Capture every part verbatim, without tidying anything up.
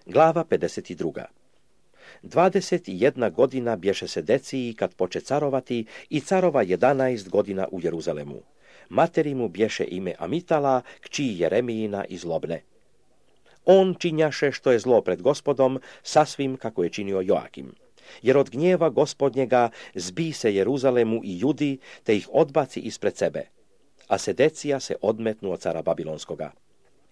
Glava pedeset druga. Dvadeset jedna godina bješe Sedeciji kad poče carovati i carova jedanaest godina u Jeruzalemu. Materi mu bješe ime Amitala, kći Jeremijina i zlobne. On činjaše što je zlo pred Gospodom, sasvim kako je činio Joakim. Jer od gnjeva Gospodnjega zbi se Jeruzalemu i Judi, te ih odbaci ispred sebe. A Sedecija se odmetnu od cara Babilonskoga.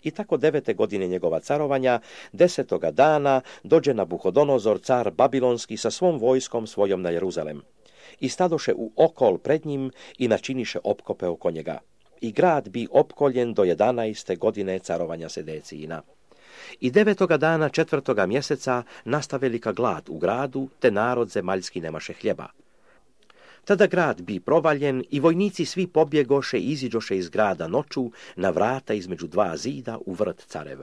I tako devete godine njegova carovanja, desetoga dana, dođe Nabuhodonozor, car Babilonski, sa svom vojskom svojom na Jeruzalem. I stadoše u okol pred njim i načiniše opkope oko njega. I grad bi opkoljen do jedanaeste godine carovanja Sedecijina. I devetoga dana četvrtoga mjeseca nasta velika glad u gradu, te narod zemaljski nemaše hljeba. Tada grad bi provaljen i vojnici svi pobjegoše i iziđoše iz grada noću na vrata između dva zida u vrt carev.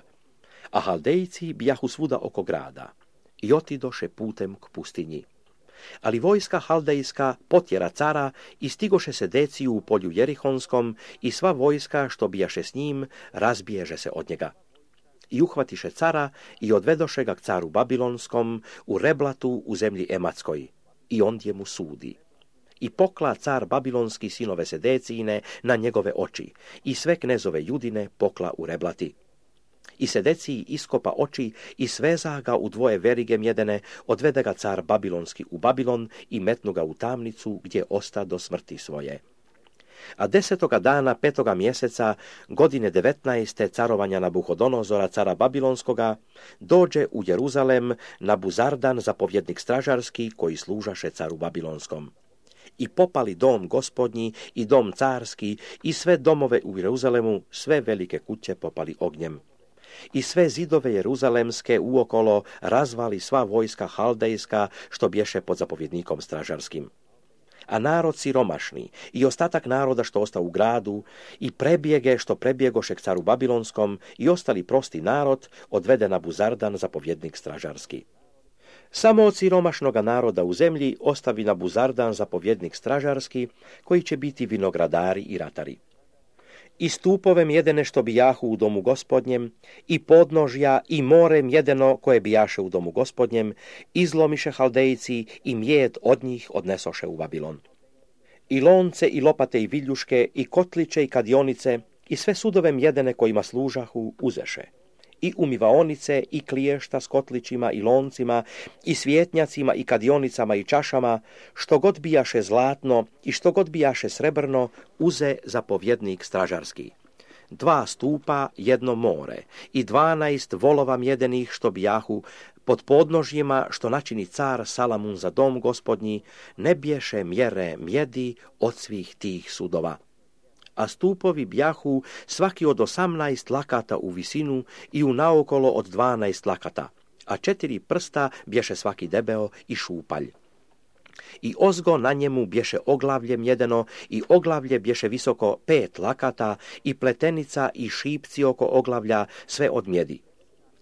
A Haldejci bijahu svuda oko grada i otidoše putem k pustinji. Ali vojska Haldejska potjera cara i stigoše Sedeciju u polju Jerihonskom i sva vojska što bijaše s njim razbiježe se od njega. I uhvatiše cara i odvedoše ga k caru Babilonskom u Reblatu u zemlji Ematskoj i ondje mu sudi. I pokla car Babilonski sinove Sedecijine na njegove oči i sve knezove Judine pokla u Reblati. I Sedeciji iskopa oči i sveza ga u dvoje verige mjedene, odvede ga car Babilonski u Babilon i metnu ga u tamnicu gdje osta do smrti svoje. A desetoga dana petoga mjeseca godine devetnaeste carovanja Nabuhodonozora cara Babilonskoga dođe u Jeruzalem Nabuzardan zapovjednik stražarski koji služaše caru Babilonskom. I popali dom gospodnji i dom carski i sve domove u Jeruzalemu, sve velike kuće popali ognjem. I sve zidove jeruzalemske uokolo razvali sva vojska haldejska što bješe pod zapovjednikom stražarskim. A narod siromašni i ostatak naroda što ostao u gradu i prebjege što prebjegoše k caru Babilonskom i ostali prosti narod odvede Nabuzardan zapovjednik stražarski. Samo od siromašnoga naroda u zemlji ostavi Nabuzardan zapovjednik stražarski koji će biti vinogradari i ratari. I stupove mjedene što bijahu u domu gospodnjem, i podnožja, i more mjedeno koje bijaše u domu gospodnjem, izlomiše Haldejci i mjed od njih odnesoše u Babilon. I lonce, i lopate, i viljuške, i kotliće, i kadionice, i sve sudove mjedene kojima služahu uzeše. I umivaonice, i kliješta s kotlićima, i loncima, i svjetnjacima, i kadionicama, i čašama, što god bijaše zlatno i što god bijaše srebrno, uze zapovjednik stražarski. Dva stupa, jedno more, i dvanaest volova mjedenih što bijahu pod podnožjima što načini car Salamun za dom gospodnji, ne bješe mjere mjedi od svih tih sudova. A stupovi bjahu svaki od osamnaest lakata u visinu i u naokolo od dvanaest lakata, a četiri prsta bješe svaki debeo i šupalj. I ozgo na njemu bješe oglavlje mjedeno i oglavlje bješe visoko pet lakata i pletenica i šipci oko oglavlja sve od mjedi.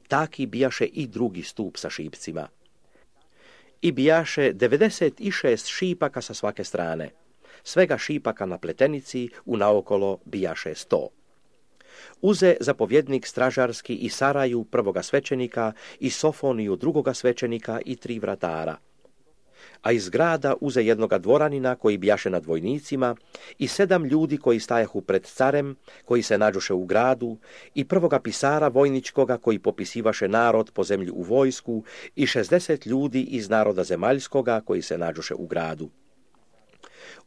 Taki bijaše i drugi stup sa šipcima. I bijaše devedeset šest šipaka sa svake strane. Svega šipaka na pletenici u naokolo bijaše sto. Uze zapovjednik stražarski i Saraju prvoga svećenika i Sofoniju drugoga svećenika i tri vratara. A iz grada uze jednoga dvoranina koji bijaše nad vojnicima i sedam ljudi koji stajahu pred carem, koji se nađoše u gradu, i prvoga pisara vojničkoga koji popisivaše narod po zemlji u vojsku i šezdeset ljudi iz naroda zemaljskoga koji se nađoše u gradu.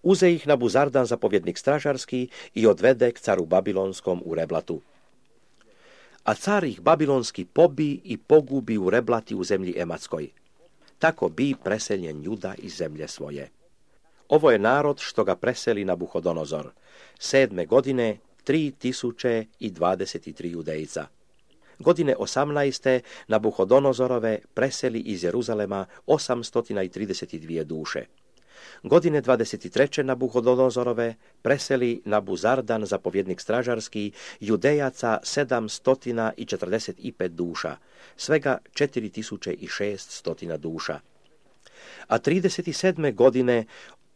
Uze ih Nabuzardan zapovjednik stražarski i odvede k caru Babilonskom u Reblatu. A car ih Babilonski pobi i pogubi u Reblati u zemlji Ematskoj. Tako bi preseljen Juda iz zemlje svoje. Ovo je narod što ga preseli Nabuhodonozor. Sedme godine tri tisuće i dvadeset tri judejca. Godine osamnaeste Nabuhodonozorove preseli iz Jeruzalema osamsto trideset dvije duše. Godine dvadeset treće Nabuhodonozorove preseli Nabuzardan zapovjednik stražarski judejaca sedamsto četrdeset pet duša, svega četiri tisuće šesto duša. A trideset sedme godine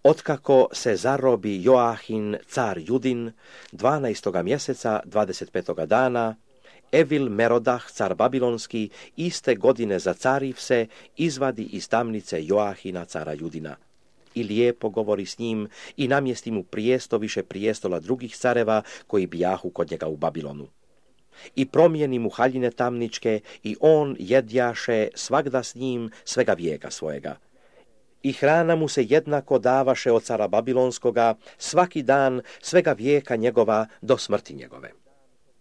otkako se zarobi Joahin car Judin, dvanaestoga mjeseca dvadeset petoga dana, Evil Merodah, car babilonský, iste godine zacariv se, izvadi iz tamnice Joahina, cara Judina. I lijepo govori s njim i namjesti mu prijesto više prijestola drugih careva koji bijahu kod njega u Babilonu. I promijeni mu haljine tamničke i on jedjaše svagda s njim svega vijeka svojega. I hrana mu se jednako davaše od cara Babilonskoga svaki dan svega vijeka njegova do smrti njegove.